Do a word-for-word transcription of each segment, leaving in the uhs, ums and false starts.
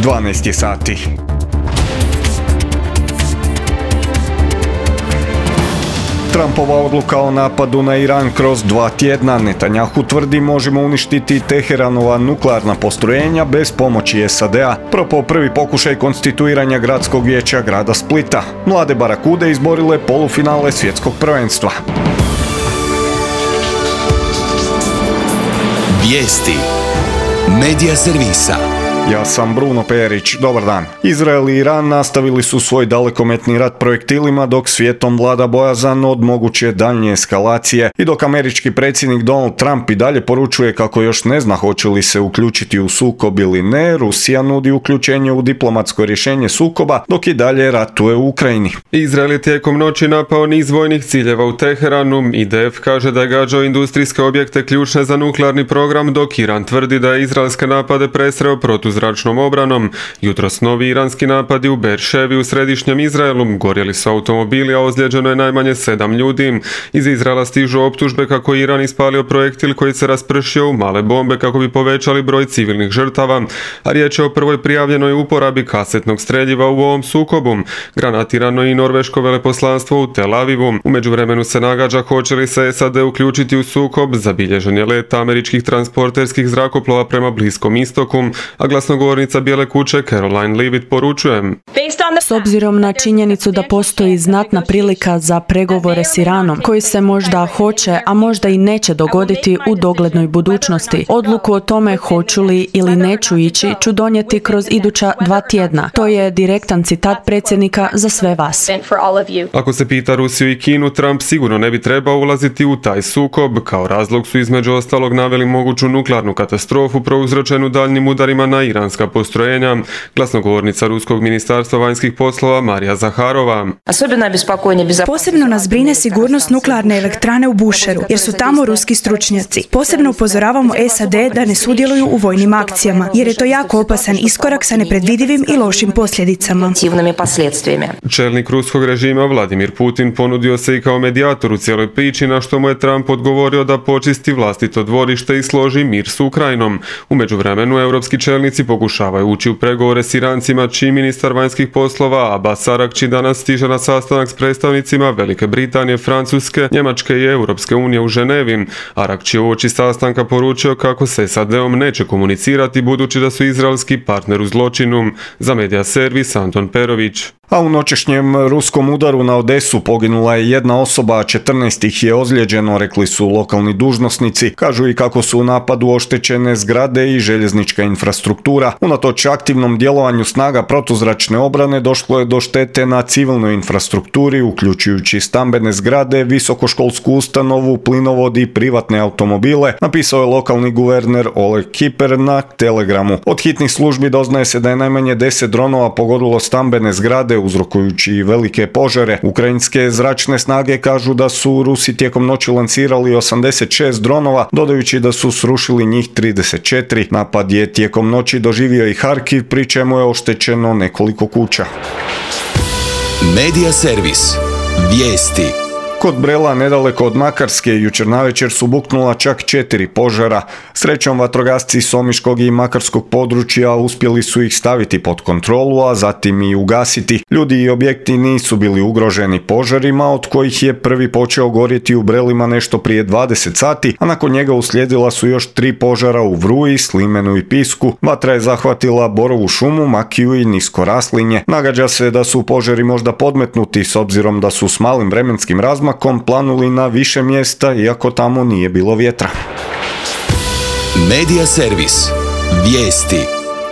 dvanaest je sati. Trumpova odluka o napadu na Iran kroz dva tjedna. Netanjahu tvrdi možemo uništiti Teheranova nuklearna postrojenja bez pomoći S A D-a. Propao prvi pokušaj konstituiranja gradskog vijeća grada Splita. Mlade barakude izborile polufinale svjetskog prvenstva. Vijesti Medija servisa. Ja sam Bruno Perić, dobar dan. Izrael i Iran nastavili su svoj dalekometni rat projektilima dok svijetom vlada bojazan od moguće daljnje eskalacije i dok američki predsjednik Donald Trump i dalje poručuje kako još ne zna hoće li se uključiti u sukob ili ne, Rusija nudi uključenje u diplomatsko rješenje sukoba dok i dalje ratuje u Ukrajini. Izrael je tijekom noći napao niz vojnih ciljeva u Teheranu. I D F kaže da je gađao industrijske objekte ključne za nuklearni program, dok Iran tvrdi da je izraelske napade presreo protu zračnom obranom. Jutros novi iranski napadi u Berševi u središnjem Izraelu. Gorjeli su automobili, a ozlijeđeno je najmanje sedam ljudi. Iz Izraela stižu optužbe kako je Iran ispalio projektil koji se raspršio u male bombe kako bi povećali broj civilnih žrtava, a riječ je o prvoj prijavljenoj uporabi kasetnog streljiva u ovom sukobu. Granatirano je i norveško veleposlanstvo u Tel Avivu. U međuvremenu se nagađa hoće li se S A D uključiti u sukob. Zabilježen je let američkih transporterskih zrakoplova prema Bliskom istoku, a glasnogovornica Bijele kuće Caroline Leavitt poručuje: S obzirom na činjenicu da postoji znatna prilika za pregovore s Iranom, koji se možda hoće, a možda i neće dogoditi u doglednoj budućnosti, odluku o tome hoću li ili neću ići ću donijeti kroz iduća dva tjedna. To je direktan citat predsjednika za sve vas. Ako se pita Rusiju i Kinu, Trump sigurno ne bi trebao ulaziti u taj sukob. Kao razlog su između ostalog naveli moguću nuklearnu katastrofu prouzročenu daljnim udarima na iranska postrojenja. Glasnogovornica Ruskog ministarstva vanjskih poslova Marija Zaharova: Posebno nas brine sigurnost nuklearne elektrane u Bušeru, jer su tamo ruski stručnjaci. Posebno upozoravamo S A D da ne sudjeluju u vojnim akcijama, jer je to jako opasan iskorak sa nepredvidivim i lošim posljedicama. Čelnik ruskog režima Vladimir Putin ponudio se i kao medijator u cijeloj priči, na što mu je Trump odgovorio da počisti vlastito dvorište i složi mir s Ukrajinom. U međuvremenu europski čelnici pokušavaju ući u pregovore s Irancima, čiji ministar vanjskih poslova Abbas Aragči danas stiže na sastanak s predstavnicima Velike Britanije, Francuske, Njemačke i Europske unije u Ženevi. Aragči je uoči sastanka poručio kako se S A D-om neće komunicirati budući da su izraelski partner u zločinu. Za Medija servis Anton Perović. A u noćešnjem ruskom udaru na Odesu poginula je jedna osoba, a četrnaest ih je ozlijeđeno, rekli su lokalni dužnosnici. Kažu i kako su u napadu oštećene zgrade i željeznička infrastruktura. Unatoč aktivnom djelovanju snaga protuzračne obrane došlo je do štete na civilnoj infrastrukturi, uključujući stambene zgrade, visokoškolsku ustanovu, plinovod i privatne automobile, napisao je lokalni guverner Oleg Kiper na Telegramu. Od hitnih službi doznaje se da je najmanje deset dronova pogodilo stambene zgrade, uzrokujući velike požare. Ukrajinske zračne snage kažu da su Rusi tijekom noći lansirali osamdeset šest dronova, dodajući da su srušili njih trideset četiri. Napad je tijekom noći doživio i Harkiv, pri čemu je oštećeno nekoliko kuća. Medija servis. Vijesti. Kod Brela, nedaleko od Makarske, jučer navečer su buknula čak četiri požara. Srećom, vatrogasci s omiškog i makarskog područja uspjeli su ih staviti pod kontrolu, a zatim i ugasiti. Ljudi i objekti nisu bili ugroženi požarima, od kojih je prvi počeo gorjeti u Brelima nešto prije dvadeset sati, a nakon njega uslijedila su još tri požara u Vruji, Slimenu i Pisku. Vatra je zahvatila borovu šumu, makiju i nisko raslinje. Nagađa se da su požari možda podmetnuti s obzirom da su s malim vremenskim razmakom planuli na više mjesta, iako tamo nije bilo vjetra. Medija servis. Vijesti.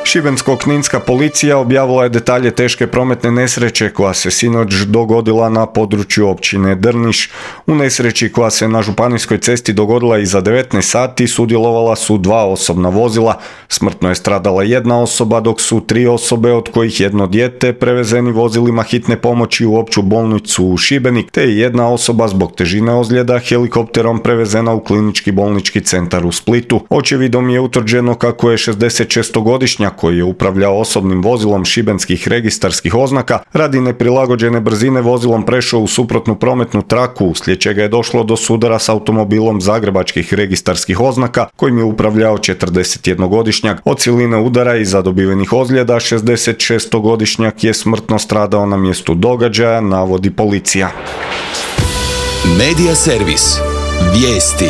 Šibensko-kninska policija objavila je detalje teške prometne nesreće koja se sinoć dogodila na području općine Drniš. U nesreći koja se na županijskoj cesti dogodila iza devetnaest sati sudjelovala su dva osobna vozila. Smrtno je stradala jedna osoba, dok su tri osobe, od kojih jedno dijete, prevezeni vozilima hitne pomoći u opću bolnicu u Šibenik, te je jedna osoba zbog težine ozljeda helikopterom prevezena u klinički bolnički centar u Splitu. Očevidom je utvrđeno kako je šezdesetšestogodišnjak koji je upravljao osobnim vozilom šibenskih registarskih oznaka, radi neprilagođene brzine vozilom prešao u suprotnu prometnu traku, uslijed čega je došlo do sudara s automobilom zagrebačkih registarskih oznaka, kojim je upravljao četrdesetjednogodišnjak. Od siline udara i zadobivenih ozljeda šezdesetšestogodišnjak je smrtno stradao na mjestu događaja, navodi policija. Medija servis. Vijesti.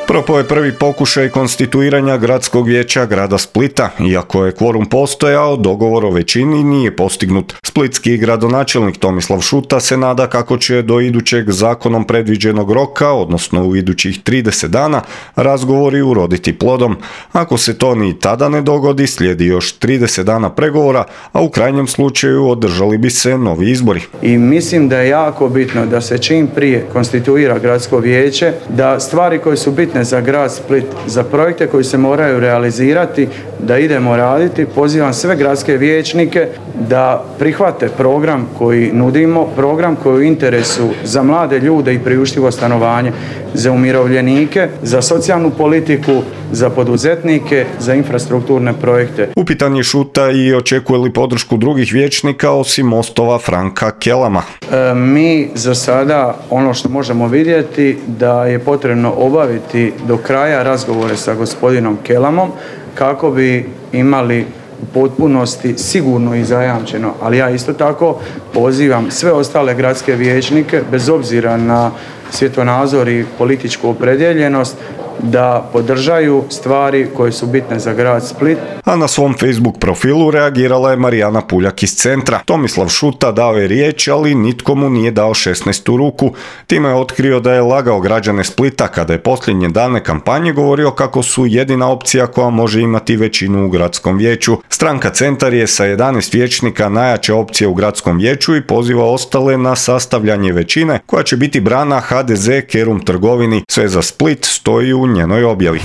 Propao je prvi pokušaj konstituiranja gradskog vijeća grada Splita. Iako je kvorum postojao, dogovor o većini nije postignut. Splitski gradonačelnik Tomislav Šuta se nada kako će do idućeg zakonom predviđenog roka, odnosno u idućih trideset dana, razgovori uroditi plodom. Ako se to ni tada ne dogodi, slijedi još trideset dana pregovora, a u krajnjem slučaju održali bi se novi izbori. I mislim da je jako bitno da se čim prije konstituira gradsko vijeće, da stvari koje su bitne za grad Split, za projekte koji se moraju realizirati, da idemo raditi. Pozivam sve gradske vijećnike da prihvate program koji nudimo, program koji je u interesu za mlade ljude i priuštivo stanovanje, za umirovljenike, za socijalnu politiku, za poduzetnike, za infrastrukturne projekte. Upitan je Šuta i očekuje li podršku drugih vijećnika osim Mostova Franka Kelama. E, mi za sada ono što možemo vidjeti da je potrebno obaviti do kraja razgovore sa gospodinom Kelamom kako bi imali u potpunosti sigurno i zajamčeno, ali ja isto tako pozivam sve ostale gradske vijećnike bez obzira na svjetonazor i političku opredjeljenost da podržaju stvari koje su bitne za grad Split. A na svom Facebook profilu reagirala je Marijana Puljak iz centra. Tomislav Šuta dao je riječ, ali nitko mu nije dao šesnaestu ruku. Time je otkrio da je lagao građane Splita kada je posljednje dane kampanje govorio kako su jedina opcija koja može imati većinu u gradskom vijeću. Stranka Centar je sa jedanaest vijećnika najjača opcija u gradskom vijeću i poziva ostale na sastavljanje većine koja će biti brana ha de ze Kerum trgovini. Sve za Split stoji u njenoj objavi.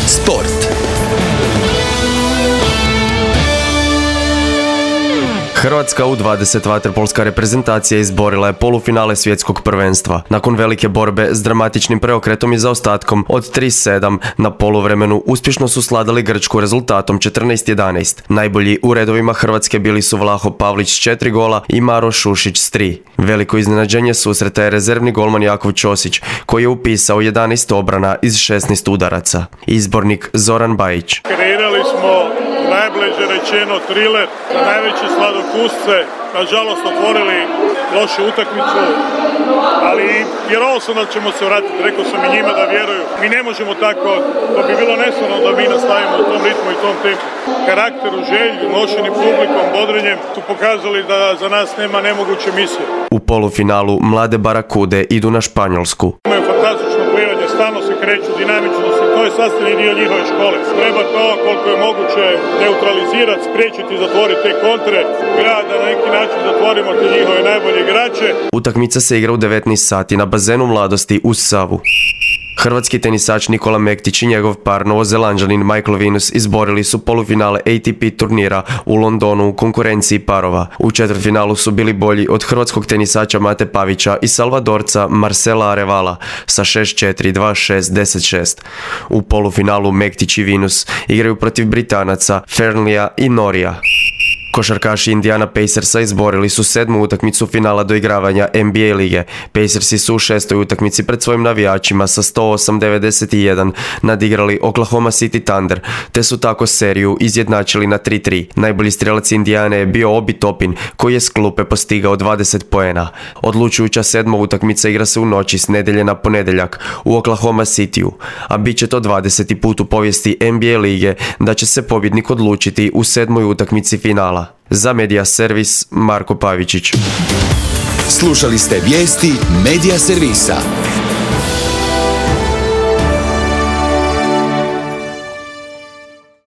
Sport. Hrvatska u dvadeset vaterpolska reprezentacija izborila je polufinale svjetskog prvenstva. Nakon velike borbe s dramatičnim preokretom i zaostatkom od tri sedam na poluvremenu uspješno su sladali Grčku rezultatom četrnaest jedanaest. Najbolji u redovima Hrvatske bili su Vlaho Pavlić s četiri gola i Maro Šušić s tri. Veliko iznenađenje susreta je rezervni golman Jakov Ćosić koji je upisao jedanaest obrana iz šesnaest udaraca. Izbornik Zoran Bajić. Kreirali smo najbliže rečeno triler za najveće sladokusce, nažalost otvorili lošu utakmicu, ali vjerovao sam da ćemo se vratiti, rekao sam i njima da vjeruju. Mi ne možemo tako, to bi bilo neslavno da mi nastavimo u tom ritmu i tom tempu. Karakteru, želju, nošenim publikom, bodrenjem su pokazali da za nas nema nemoguće misije. U polufinalu mlade Barakude idu na Španjolsku. Imaju fantastično plivanje, stalno se kreću, dinamično se, to je sastavni dio njihove škole. Treba to koliko je moguće neutralizirati, spriječiti, zatvoriti te kontre, gledati da na neki način zatvorimo te njihove najbolje igrače. Utakmica se igra u devetnaest sati na bazenu Mladosti uz Savu. Hrvatski tenisač Nikola Mektić i njegov par Novozelanđanin Michael Venus izborili su polufinale A T P turnira u Londonu u konkurenciji parova. U četvrtfinalu su bili bolji od hrvatskog tenisača Mate Pavića i Salvadorca Marcela Arevala sa šest četiri, dva šest, deset šest. U polufinalu Mektić i Venus igraju protiv Britanaca Fernlija i Norija. Košarkaši Indiana Pacersa izborili su sedmu utakmicu finala doigravanja N B A lige. Pacersi su u šestoj utakmici pred svojim navijačima sa sto osam devedeset jedan nadigrali Oklahoma City Thunder, te su tako seriju izjednačili na tri tri. Najbolji strelac Indijane je bio Obi Topin, koji je s klupe postigao dvadeset poena. Odlučujuća sedma utakmica igra se u noći s nedjelje na ponedjeljak u Oklahoma Cityu, a bit će to dvadeseti put u povijesti N B A lige da će se pobjednik odlučiti u sedmoj utakmici finala. Za Medija servis Marko Pavičić. Slušali ste vijesti Medija servisa.